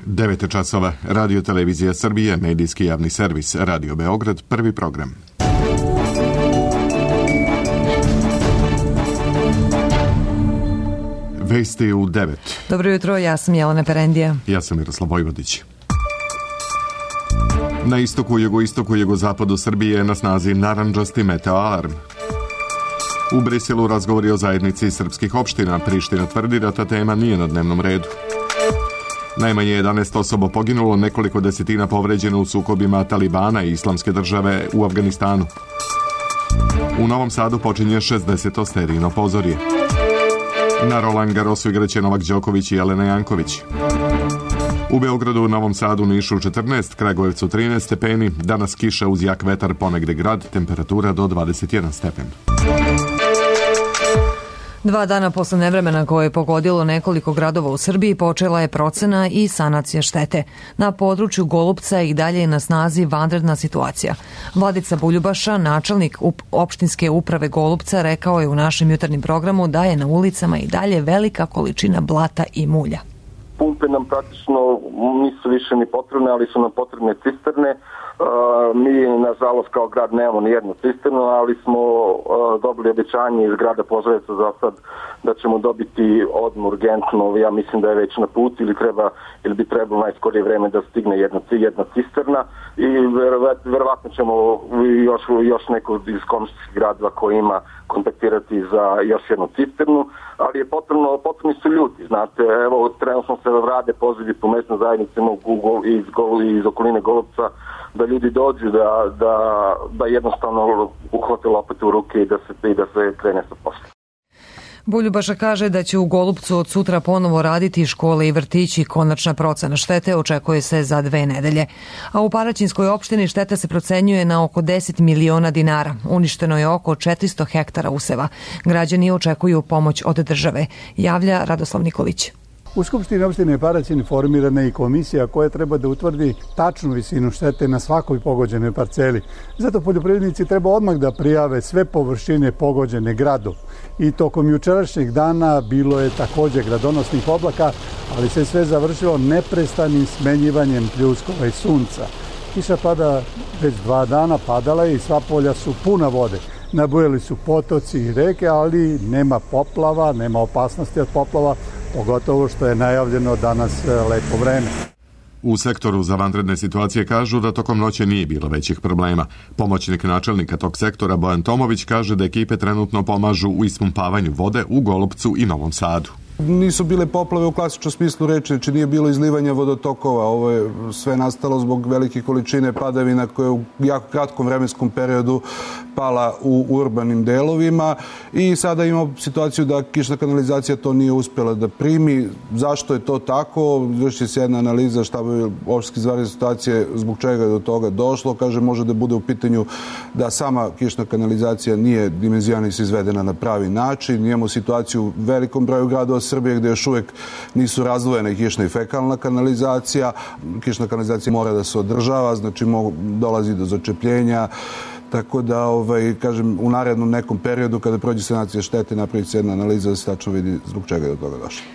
9 časova, Radio Televizija Srbije, medijski javni servis, Radio Beograd, prvi program. Vesti u 9. Dobro jutro, ja sam Jelena Perendija. Ja sam Miroslav Vojvodić. Na istoku, jugoistoku, jugozapadu Srbije je na snazi narandžasti meteo alarm. U Briselu razgovori o zajednici srpskih opština. Priština tvrdi da ta tema nije na dnevnom redu. Najmanje 11 osoba poginulo, nekoliko desetina povređeno u sukobima Talibana i Islamske države u Afganistanu. U Novom Sadu počinje 60. sterijno pozorje. Na Roland Garrosu igraće Novak Đoković i Jelena Janković. U Beogradu, Novom Sadu, Nišu 14, Kragujevcu 13 stepeni, danas kiša uz jak vetar, ponegde grad, temperatura do 21 stepen. 2 dana posle nevremena koje je pogodilo nekoliko gradova u Srbiji počela je procena i sanacija štete. Na području Golupca i dalje je na snazi vanredna situacija. Vladica Buljubaša, načelnik opštinske uprave Golupca, rekao je u našem jutarnjem programu da je na ulicama i dalje velika količina blata i mulja. Pumpe nam praktično nisu više ni potrebne, ali su nam potrebne cisterne. Mi, nažalost, kao grad nemamo ni jednu cisternu, ali smo dobili obećanje iz grada Požarevca za sad da ćemo dobiti odmah urgentno, ja mislim da je već na put ili bi trebalo najskorije vreme da stigne jedna cisterna i verovatno ćemo još neko iz komšijskih gradova koji ima kontaktirati za još jednu cisternu, ali je potrebni su ljudi, znate, evo trenutno se rade pozivi po mesnoj zajednici iz okoline Golupca da ljudi dođu da jednostavno uhvate lopate u ruke i da se krene sa poslom. Buljubaša kaže da će u Golupcu od sutra ponovo raditi škole i vrtići. Konačna procena štete očekuje se za 2 nedelje. A u Paraćinskoj opštini šteta se procenjuje na oko 10 miliona dinara. Uništeno je oko 400 hektara useva. Građani očekuju pomoć od države, javlja Radoslav Nikolić. U Skupštini opštine Paraćin formirana je i komisija koja treba da utvrdi tačnu visinu štete na svakoj pogođenoj parceli. Zato poljoprivrednici treba odmah da prijave sve površine pogođene gradom. I tokom jučerašnjeg dana bilo je također gradonosnih oblaka, ali se sve završilo neprestanim smenjivanjem pljuskova i sunca. Kiša pada već 2 dana, padala je i sva polja su puna vode. Nabujali su potoci i reke, ali nema poplava, nema opasnosti od poplava, pogotovo što je najavljeno danas lepo vreme. U sektoru za vanredne situacije kažu da tokom noći nije bilo većih problema. Pomoćnik načelnika tog sektora Bojan Tomović kaže da ekipe trenutno pomažu u ispumpavanju vode u Golupcu i Novom Sadu. Nisu bile poplave u klasičnom smislu reči, znači nije bilo izlivanja vodotokova. Ovo je sve nastalo zbog velike količine padavina koje u jako kratkom vremenskom periodu pala u urbanim delovima i sada imamo situaciju da kišna kanalizacija to nije uspjela da primi. Zašto je to tako? Vrši se jedna analiza štaba opštinske izvanredne situacije zbog čega je do toga došlo. Kaže, može da bude u pitanju da sama kišna kanalizacija nije dimenzionisana izvedena na pravi način. Imamo situaciju u velikom broju gradova Srbije gdje još uvijek nisu razdvojene kišna i fekalna kanalizacija. Kišna kanalizacija mora da se održava, znači dolazi do začepljenja. Tako da, kažem, u narednom nekom periodu kada prođe sanacija štete napravi se jedna analiza da se tačno vidi zbog čega je do toga došlo.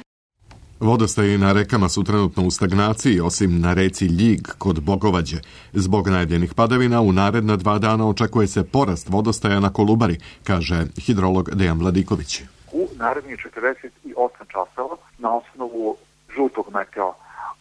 Vodostaji na rekama su trenutno u stagnaciji, osim na reci Ljig kod Bogovađe. Zbog najavljenih padavina u naredna 2 dana očekuje se porast vodostaja na Kolubari, kaže hidrolog Dejan Vladiković. U narednih 48 časova na osnovu žutog meteo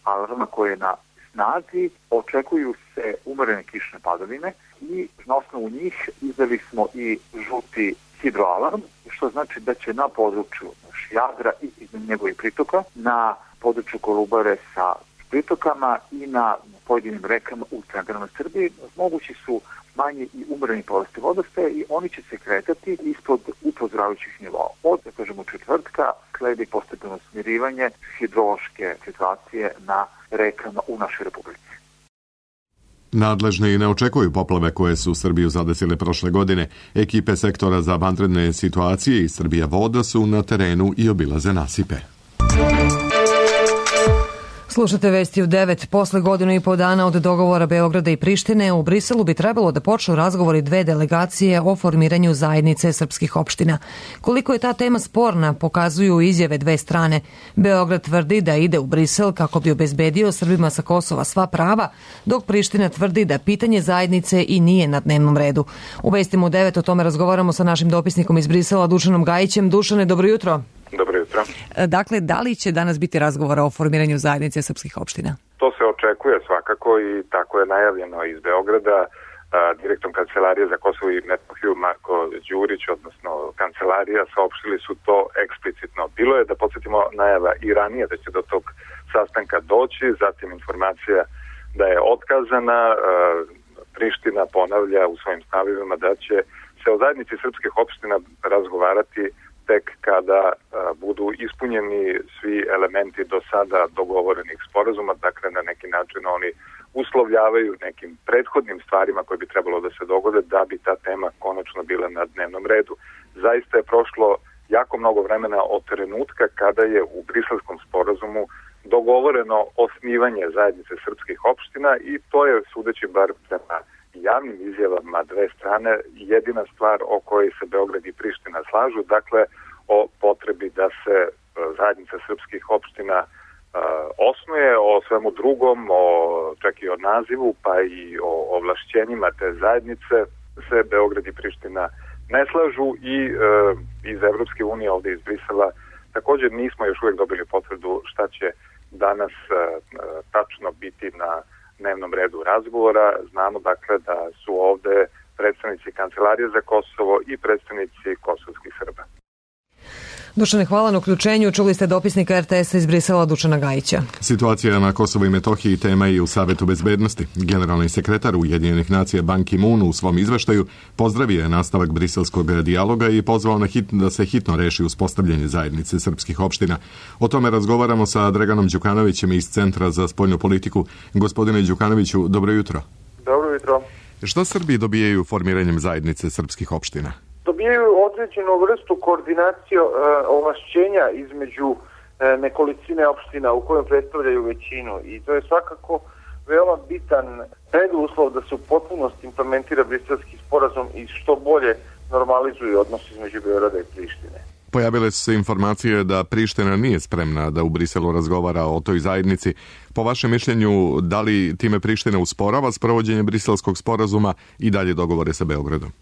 alarma koje je na snazi očekuju se umerene kišne padavine i na osnovu njih izdali smo i žuti hidroalarm, što znači da će na području Jadra i njegovih pritoka, na području Kolubare sa pritokama i na pojedinim rekama u centralnoj Srbiji mogući su manji i umereni porasti vodostaja i oni će se kretati ispod upozoravajućih nivoa. Od, da kažemo, četvrtka sledi postepeno smirivanje hidrološke situacije na rekama u našoj republici. Nadležni ne očekuju poplave koje su Srbiju zadesile prošle godine. Ekipe sektora za vanredne situacije i Srbija voda su na terenu i obilaze nasipe. Slušate vesti u 9. Posle godinu i po dana od dogovora Beograda i Prištine, u Briselu bi trebalo da počnu razgovori dve delegacije o formiranju zajednice srpskih opština. Koliko je ta tema sporna, pokazuju izjave dve strane. Beograd tvrdi da ide u Brisel kako bi obezbedio Srbima sa Kosova sva prava, dok Priština tvrdi da pitanje zajednice i nije na dnevnom redu. U vestima u 9 o tome razgovaramo sa našim dopisnikom iz Brisela, Dušanom Gajićem. Dušane, dobro jutro. Dobro jutro. Dakle, da li će danas biti razgovora o formiranju zajednice srpskih opština? To se očekuje svakako i tako je najavljeno iz Beograda. Direktor Kancelarije za Kosovo i Metohiju Marko Đurić, odnosno Kancelarija, saopštili su to eksplicitno. Bilo je, da podsjetimo, najava i ranije da će do tog sastanka doći, zatim informacija da je otkazana. Priština ponavlja u svojim stavovima da će se o zajednici srpskih opština razgovarati tek kada budu ispunjeni svi elementi do sada dogovorenih sporazuma, dakle na neki način oni uslovljavaju nekim prethodnim stvarima koje bi trebalo da se dogode da bi ta tema konačno bila na dnevnom redu. Zaista je prošlo jako mnogo vremena od trenutka kada je u Briselskom sporazumu dogovoreno osnivanje zajednice srpskih opština i to je, sudeći bar prema javnim izjavama dve strane, jedina stvar o kojoj se Beograd i Priština slažu, dakle o potrebi da se zajednica srpskih opština osnuje, o svemu drugom, čak i o nazivu, pa i o ovlašćenjima te zajednice se Beograd i Priština ne slažu i iz Evropske unije, ovde iz Brisela, također nismo još uvijek dobili potvrdu šta će danas tačno biti na dnevnom redu razgovora. Znamo dakle da su ovde predstavnici Kancelarije za Kosovo i predstavnici kosovskih Srba. Dušane, hvala na uključenju. Čuli ste dopisnika RTS-a iz Brisela, Dušana Gajića. Situacija na Kosovu i Metohiji tema je i u Savetu bezbednosti. Generalni sekretar Ujedinjenih nacija Ban Ki-moon u svom izveštaju pozdravio je nastavak briselskog dijaloga i pozvao da se hitno reši uspostavljanje zajednice srpskih opština. O tome razgovaramo sa Draganom Đukanovićem iz Centra za spoljnu politiku. Gospodine Đukanoviću, dobro jutro. Dobro jutro. Šta Srbi dobijaju formiranjem zajednice srpskih opština? Dobijaju određenu vrstu koordinacije ovlašćenja između nekolicine opština u kojem predstavljaju većinu i to je svakako veoma bitan preduslov da se u potpunosti implementira Briselski sporazum i što bolje normalizuju odnos između Beograda i Prištine. Pojavile su se informacije da Priština nije spremna da u Briselu razgovara o toj zajednici. Po vašem mišljenju, da li time Priština usporava sprovođenje Briselskog sporazuma i dalje dogovore sa Beogradom?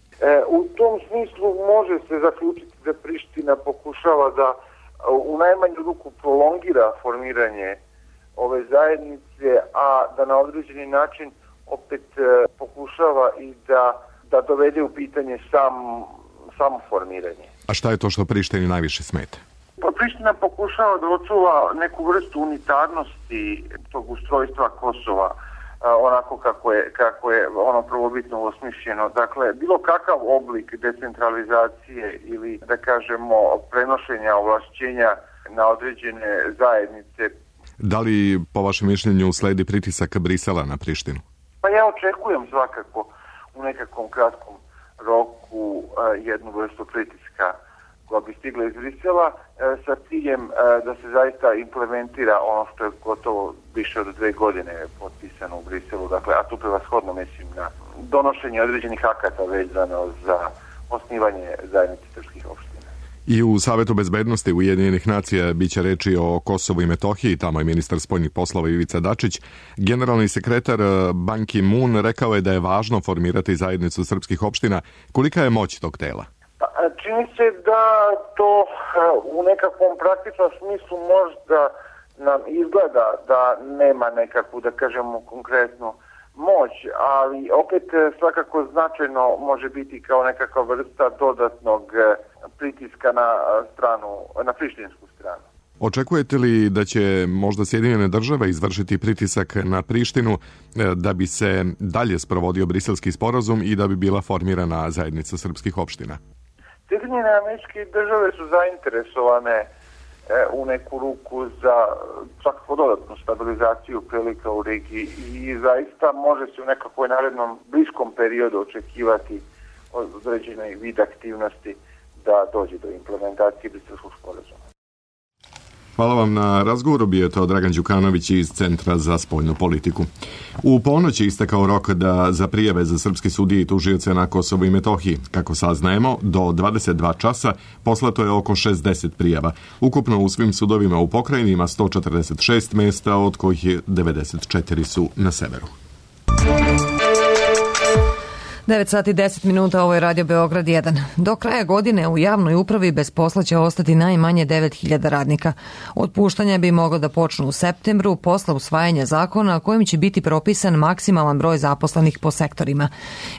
U tom smislu može se zaključiti da Priština pokušava da u najmanju ruku prolongira formiranje ove zajednice, a da na određeni način opet pokušava i da dovede u pitanje samo formiranje. A šta je to što Prištini najviše smeta? Pa Priština pokušava da očuva neku vrstu unitarnosti tog ustrojstva Kosova, onako kako je ono prvobitno osmišljeno. Dakle, bilo kakav oblik decentralizacije ili, da kažemo, prenošenja ovlašćenja na određene zajednice. Da li, po vašem mišljenju, sledi pritisak Brisela na Prištinu? Pa ja očekujem svakako u nekakvom kratkom roku jednu vrstu pritiska koja bi stigla iz Brisela sa ciljem da se zaista implementira ono što je gotovo više od 2 godine potpisano u Briselu, dakle, a tu prevashodno mislim na donošenje određenih akata vezano za osnivanje zajednice srpskih opština. I u Savetu bezbednosti Ujedinjenih nacija biće reči o Kosovu i Metohiji, tamo je ministar spoljnih poslova Ivica Dačić. Generalni sekretar Ban Ki-moon rekao je da je važno formirati zajednicu srpskih opština. Kolika je moć tog tela? Čini se da to u nekakvom praktičnom smislu možda nam izgleda da nema nekakvu, da kažemo, konkretnu moć, ali opet svakako značajno može biti kao nekakva vrsta dodatnog pritiska na prištinsku stranu. Očekujete li da će možda Sjedinjene države izvršiti pritisak na Prištinu da bi se dalje sprovodio Briselski sporazum i da bi bila formirana zajednica srpskih opština? Sjedinjene Američke države su zainteresovane u neku ruku za svakako dodatnu stabilizaciju prilika u regiji i zaista može se u nekakvoj narednom bliskom periodu očekivati određene vid aktivnosti da dođe do implementacije Briselskog sporazuma. Hvala vam na razgovoru, bio je to Dragan Đukanović iz Centra za spoljnu politiku. U ponoć je istekao rok za prijave za srpske sudije i tužioce na Kosovu i Metohiji. Kako saznajemo, do 22 časa poslato je oko 60 prijava. Ukupno u svim sudovima u pokrajini ima 146 mesta, od kojih je 94 su na severu. 9 sati 10 minuta, ovo je Radio Beograd 1. Do kraja godine u javnoj upravi bez posla će ostati najmanje 9.000 radnika. Otpuštanja bi moglo da počnu u septembru posle usvajanja zakona kojim će biti propisan maksimalan broj zaposlenih po sektorima.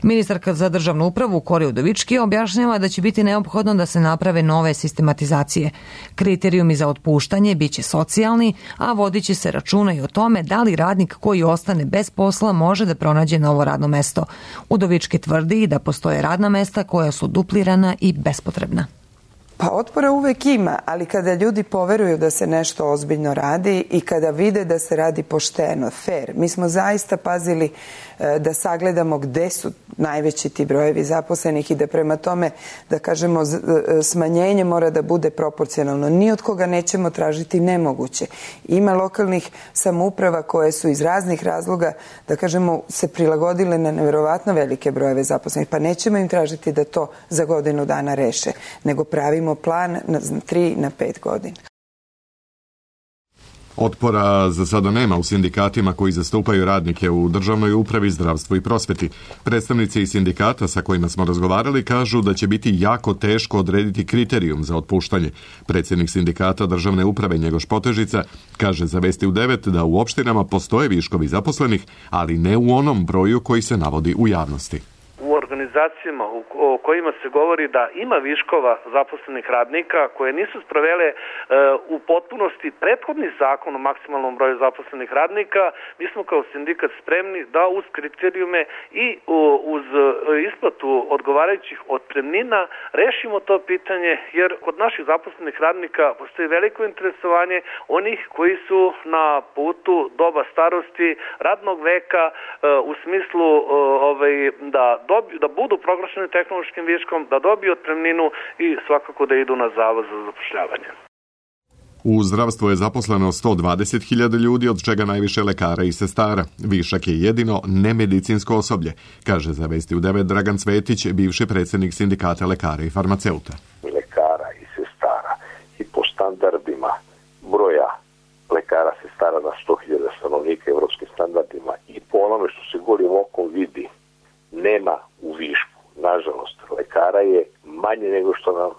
Ministarka za državnu upravu Kori Udovički objašnjava da će biti neophodno da se naprave nove sistematizacije. Kriterijumi za otpuštanje biće socijalni, a vodit će se računa i o tome da li radnik koji ostane bez posla može da pronađe novo radno mesto. Udovički tvrdi da postoje radna mesta koja su duplirana i bespotrebna. Pa otpora uvek ima, ali kada ljudi poveruju da se nešto ozbiljno radi i kada vide da se radi pošteno, fair. Mi smo zaista pazili da sagledamo gde su najveći ti brojevi zaposlenih i da prema tome, da kažemo, smanjenje mora da bude proporcionalno. Ni od koga nećemo tražiti nemoguće. Ima lokalnih samouprava koje su iz raznih razloga, da kažemo, se prilagodile na neverovatno velike brojeve zaposlenih, pa nećemo im tražiti da to za godinu dana reše, nego pravimo plan na 3 na 5 godina. Otpora za sada nema u sindikatima koji zastupaju radnike u državnoj upravi, zdravstvu i prosveti. Predstavnici iz sindikata sa kojima smo razgovarali kažu da će biti jako teško odrediti kriterijum za otpuštanje. Predsjednik sindikata državne uprave Njegoš Potežica kaže za Vesti u 9 da u opštinama postoje viškovi zaposlenih, ali ne u onom broju koji se navodi u javnosti. U organizacijama o kojima se govori da ima viškova zaposlenih radnika koje nisu sprovele u potpunosti prethodni zakon o maksimalnom broju zaposlenih radnika, mi smo kao sindikat spremni da uz kriterijume i uz isplatu odgovarajućih otpremnina rešimo to pitanje, jer kod naših zaposlenih radnika postoji veliko interesovanje onih koji su na putu doba starosti, radnog veka, u smislu da budu proglašeni tehnološkim viškom, da dobiju otpremninu i svakako da idu na zavod za zapošljavanje. U zdravstvu je zaposleno 120.000 ljudi, od čega najviše lekara i sestara. Višak je jedino nemedicinsko osoblje, kaže za Vesti u 9 Dragan Cvetić, bivši predsjednik sindikata lekara i farmaceuta. Lekara i sestara i po standardima broja lekara sestara na 100.000 stanovnika evropskim standardima i po onome što se golim okom vidi, nema u višku. Nažalost, lekara je manje nego što nam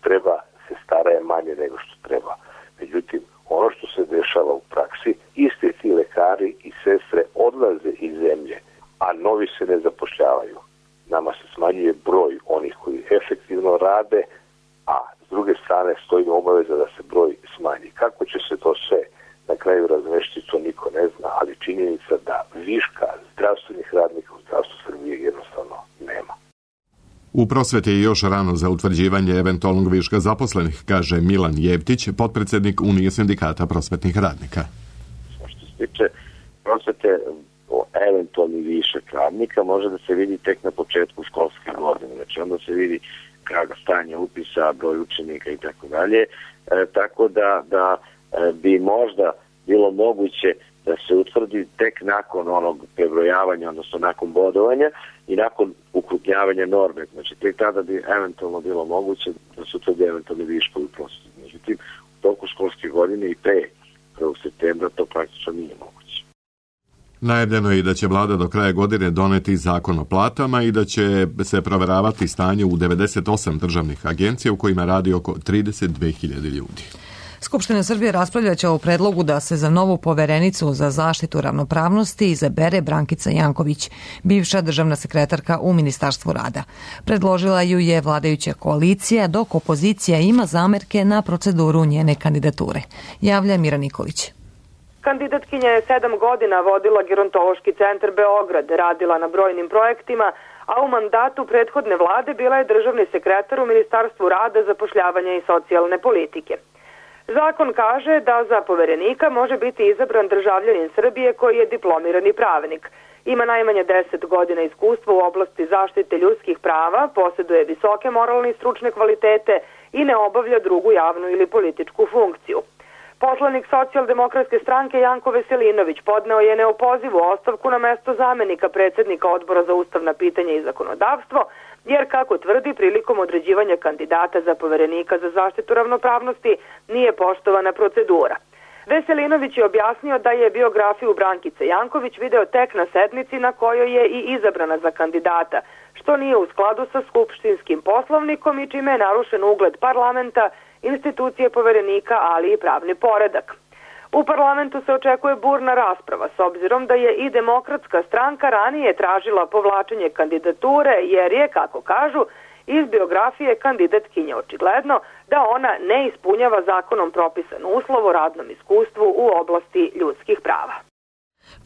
treba, sestara je manje nego što treba. Međutim, ono što se dešava u praksi, isti ti lekari i sestre odlaze iz zemlje, a novi se ne zapošljavaju. Nama se smanjuje broj onih koji efektivno rade, a s druge strane stoji obaveza da se broj smanji. Kako će se to sve na kraju razvešti, to niko ne zna, ali činjenica da viška zdravstvenih radnika u zdravstvu Srbije jednostavno nema. U prosveti je još rano za utvrđivanje eventualnog viška zaposlenih, kaže Milan Jevtić, potpredsjednik Unije sindikata prosvetnih radnika. Što se tiče prosvete, eventualni višak radnika može da se vidi tek na početku školske godine. Znači onda se vidi kako stanje upisa, broj učenika i tako dalje. Tako da bi možda bilo moguće da se utvrdi tek nakon onog prebrojavanja, odnosno nakon bodovanja i nakon ukrupnjavanja norme. Znači, tek tada bi eventualno bilo moguće da se utvrdi eventualni viškovi prosveti. Međutim, u toku školske godine i pre 1. septembra to praktično nije moguće. Najavljeno je i da će vlada do kraja godine doneti zakon o platama i da će se proveravati stanje u 98 državnih agencija u kojima radi oko 32.000 ljudi. Skupština Srbije raspravljaće o predlogu da se za novu poverenicu za zaštitu ravnopravnosti izabere Brankica Janković, bivša državna sekretarka u Ministarstvu rada. Predložila ju je vladajuća koalicija, dok opozicija ima zamerke na proceduru njene kandidature. Javlja Mira Nikolić. Kandidatkinja je 7 godina vodila Gerontološki centar Beograd, radila na brojnim projektima, a u mandatu prethodne vlade bila je državni sekretar u Ministarstvu rada, zapošljavanja i socijalne politike. Zakon kaže da za poverenika može biti izabran državljanin Srbije koji je diplomirani pravnik. Ima najmanje 10 godina iskustva u oblasti zaštite ljudskih prava, posjeduje visoke moralne i stručne kvalitete i ne obavlja drugu javnu ili političku funkciju. Poslanik Socijaldemokratske stranke Janko Veselinović podneo je neopozivu ostavku na mesto zamenika predsjednika Odbora za ustavna pitanja i zakonodavstvo, jer, kako tvrdi, prilikom određivanja kandidata za poverenika za zaštitu ravnopravnosti nije poštovana procedura. Veselinović je objasnio da je biografiju Brankice Janković video tek na sednici na kojoj je i izabrana za kandidata, što nije u skladu sa skupštinskim poslovnikom i čime je narušen ugled parlamenta, institucije poverenika, ali i pravni poredak. U parlamentu se očekuje burna rasprava, s obzirom da je i Demokratska stranka ranije tražila povlačenje kandidature, jer je, kako kažu, iz biografije kandidatkinje očigledno da ona ne ispunjava zakonom propisan uslov o radnom iskustvu u oblasti ljudskih prava.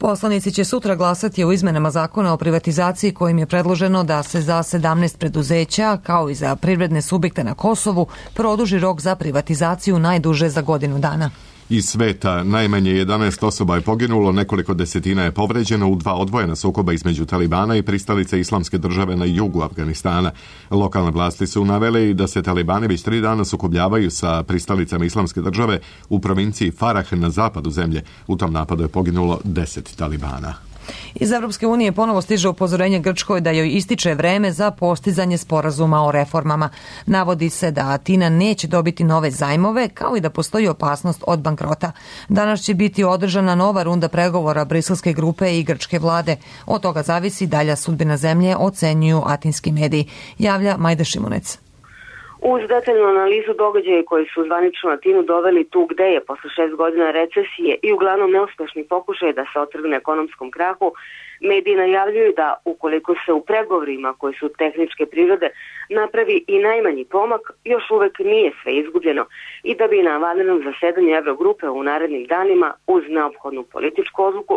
Poslanici će sutra glasati o izmenama zakona o privatizaciji kojim je predloženo da se za 17 preduzeća, kao i za privredne subjekte na Kosovu, produži rok za privatizaciju najduže za godinu dana. Iz sveta najmanje 11 osoba je poginulo, nekoliko desetina je povređeno u 2 odvojena sukoba između Talibana i pristalice Islamske države na jugu Afganistana. Lokalne vlasti su navele i da se Talibani već 3 dana sukobljavaju sa pristalicama Islamske države u provinciji Farah na zapadu zemlje. U tom napadu je poginulo 10 Talibana. Iz Evropske unije ponovo stiže upozorenje Grčkoj da joj ističe vreme za postizanje sporazuma o reformama. Navodi se da Atina neće dobiti nove zajmove, kao i da postoji opasnost od bankrota. Danas će biti održana nova runda pregovora briselske grupe i grčke vlade. Od toga zavisi dalja sudbina zemlje, ocenjuju atinski mediji. Javlja Majda Šimunec. Uz detaljnu analizu događaja koji su zvanično Atinu doveli tu gde je posle 6 godina recesije i uglavnom neuspešni pokušaj da se otrgne ekonomskom krahu, mediji najavljuju da ukoliko se u pregovorima koji su tehničke prirode napravi i najmanji pomak, još uvek nije sve izgubljeno i da bi na vanrednom zasedanju Eurogrupe u narednim danima uz neophodnu političku odluku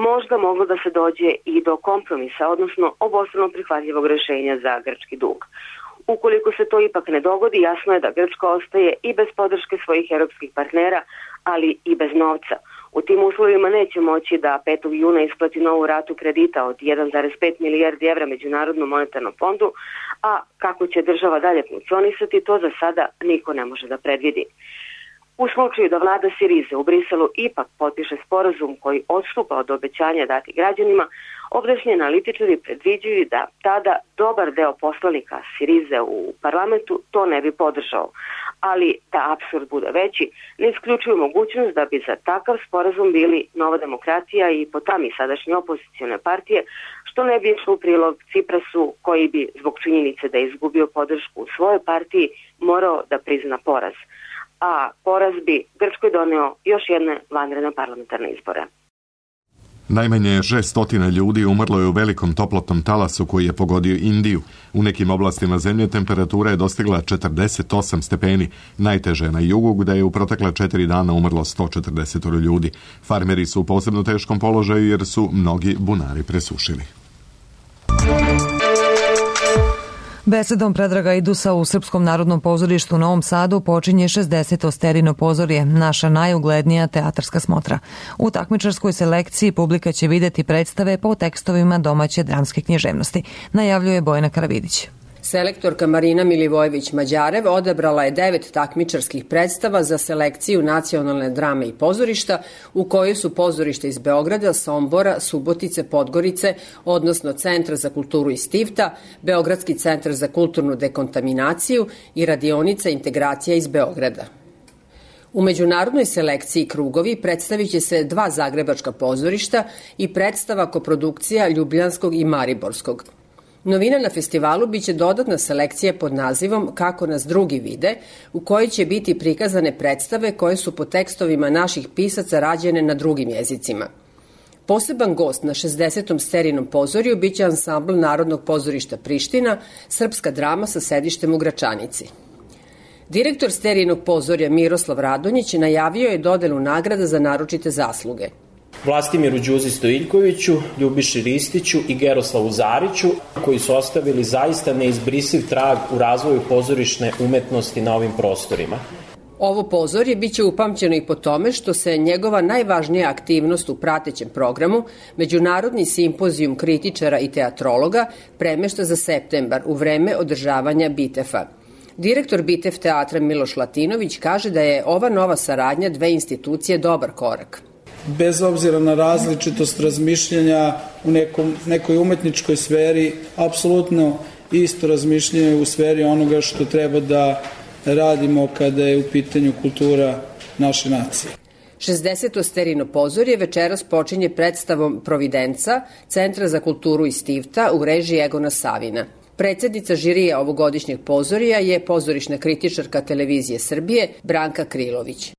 možda moglo da se dođe i do kompromisa, odnosno obostrano prihvatljivog rešenja za grčki dug. Ukoliko se to ipak ne dogodi, jasno je da Grčka ostaje i bez podrške svojih europskih partnera, ali i bez novca. U tim uslovima neće moći da 5. juna isplati novu ratu kredita od 1,5 milijardi evra Međunarodnom monetarnom fondu, a kako će država dalje funkcionisati, to za sada niko ne može da predvidi. U slučaju da vlada Sirize u Briselu ipak potpiše sporazum koji odstupa od obećanja dati građanima, ovdašnji analitičari predviđaju da tada dobar deo poslanika Sirize u parlamentu to ne bi podržao. Ali da apsurd bude veći, ne isključuju mogućnost da bi za takav sporazum bili Nova demokratija i potami sadašnje opozicione partije, što ne bi išlo u prilog Ciprasu, koji bi zbog činjenice da je izgubio podršku u svojoj partiji morao da prizna poraz. A poraz bi Grčkoj doneo još jedne vanredne parlamentarne izbore. Najmanje 600 ljudi umrlo je u velikom toplotnom talasu koji je pogodio Indiju. U nekim oblastima zemlje temperatura je dostigla 48 stepeni. Najteže na jugu, gde je u protekla 4 dana umrlo 140 ljudi. Farmeri su u posebno teškom položaju jer su mnogi bunari presušili. Besedom Predraga Idusa u Srpskom narodnom pozorištu u Novom Sadu počinje 60. Sterino pozorje, naša najuglednija teatarska smotra. U takmičarskoj selekciji publika će vidjeti predstave po tekstovima domaće dramske književnosti, najavljuje Bojana Karavidić. Selektorka Marina Milivojević-Mađarev odabrala je 9 takmičarskih predstava za selekciju nacionalne drame i pozorišta, u kojoj su pozorište iz Beograda, Sombora, Subotice, Podgorice, odnosno Centra za kulturu iz Tivta, Beogradski centar za kulturnu dekontaminaciju i radionica integracija iz Beograda. U međunarodnoj selekciji Krugovi predstavit će se 2 zagrebačka pozorišta i predstava koprodukcija Ljubljanskog i Mariborskog. Novina na festivalu biće dodatna selekcija pod nazivom Kako nas drugi vide, u kojoj će biti prikazane predstave koje su po tekstovima naših pisaca rađene na drugim jezicima. Poseban gost na 60. Sterinom pozorju biće ansambl Narodnog pozorišta Priština, srpska drama sa sedištem u Gračanici. Direktor Sterinog pozorja Miroslav Radonjić najavio je dodelu nagrada za naročite zasluge. Vlastimiru Đuzi Stojiljkoviću, Ljubiši Ristiću i Geroslavu Zariću, koji su ostavili zaista neizbrisiv trag u razvoju pozorišne umetnosti na ovim prostorima. Ovo pozorje biće upamćeno i po tome što se njegova najvažnija aktivnost u pratećem programu, Međunarodni simpozijum kritičara i teatrologa, premešta za septembar u vreme održavanja BITEF-a. Direktor Bitev teatra Miloš Latinović kaže da je ova nova saradnja dve institucije dobar korak. Bez obzira na različitost razmišljanja u nekoj umetničkoj sferi, apsolutno isto razmišljanje u sferi onoga što treba da radimo kada je u pitanju kultura naše nacije. 60. Sterino pozorje večeras počinje predstavom Providenca, Centra za kulturu iz Stivta u režiji Egona Savina. Predsednica žirija ovogodišnjeg pozorija je pozorišna kritičarka Televizije Srbije Branka Krilović.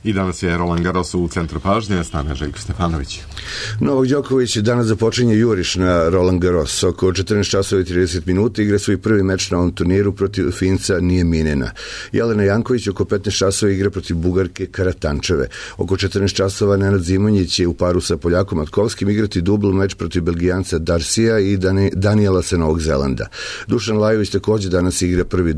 I danas je Roland Garros u centru pažnje, s nama je Željko Stefanović. Novak Đoković danas započinje juriš na Roland Garros. Oko 14 časova i 30 minuta igra svoj prvi meč na ovom turniru protiv Finca Nijeminena. Jelena Janković oko 15 časova igra protiv Bugarke Karatančeve. Oko 14 časova Nenad Zimonjić je u paru sa Poljakom Matkovskim igrati dubl meč protiv Belgijanca Darsija i Daniela sa Novog Zelanda. Dušan Lajović takođe danas igra prvi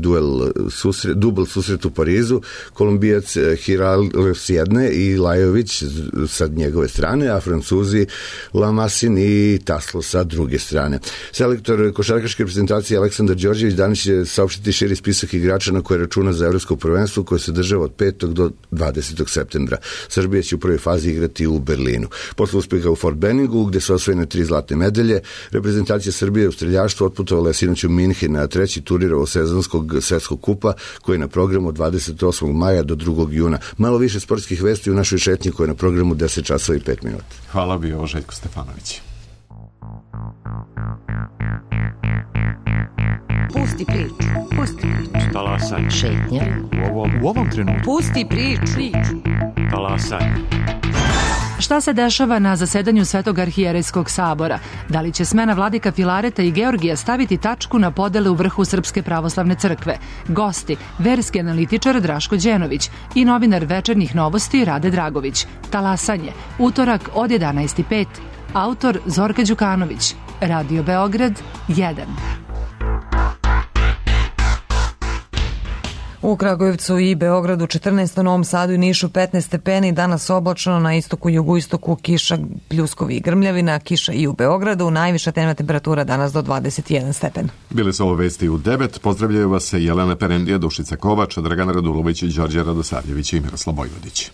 dubl susret u Parizu. Kolumbijac Hiral s jedne i Lajović sa njegove strane, a Francuzi Lamasin i Taslo sa druge strane. Selektor košarkaške reprezentacije Aleksandar Đorđević danas će saopštiti širi spisak igrača na koje računa za evropsko prvenstvo koje se država od 5. do 20. septembra. Srbija će u prvoj fazi igrati u Berlinu. Posle uspeha u Fort Benningu, gde su osvojene 3 zlatne medalje, reprezentacija Srbije u streljaštvu otputovala je sinoć u Minhen na treći turnir ovosezonskog svetskog kupa koji je na programu od 28. maja do 2. juna. Malo više sportskih vesti u našoj šetnji koja je na programu 10 časova i 5 minuta. Hvala, bio Željko Stefanović. Pusti priču. Talasaj. Šetnja. U ovom trenutku. Pusti priču. Talasaj. Šta se dešava na zasedanju Svetog arhijerejskog sabora? Da li će smena vladika Filareta i Georgija staviti tačku na podele u vrhu Srpske pravoslavne crkve? Gosti, verski analitičar Draško Đenović i novinar Večernjih novosti Rade Dragović. Talasanje, utorak od 11:05. Autor Zorka Đukanović. Radio Beograd 1. U Kragujevcu i Beogradu 14, u Novom Sadu i Nišu 15 stepeni, danas oblačno, na istoku i jugoistoku kiša, pljuskovi i grmljavina, kiša i u Beogradu, najviša dnevna temperatura danas do 21 stepen. Bile su ovo vesti u 9, pozdravljaju vas Jelena Perendija, Dušica Kovač, Dragana Radulović, Đorđe Radosavljević i Miroslav Bojvodić.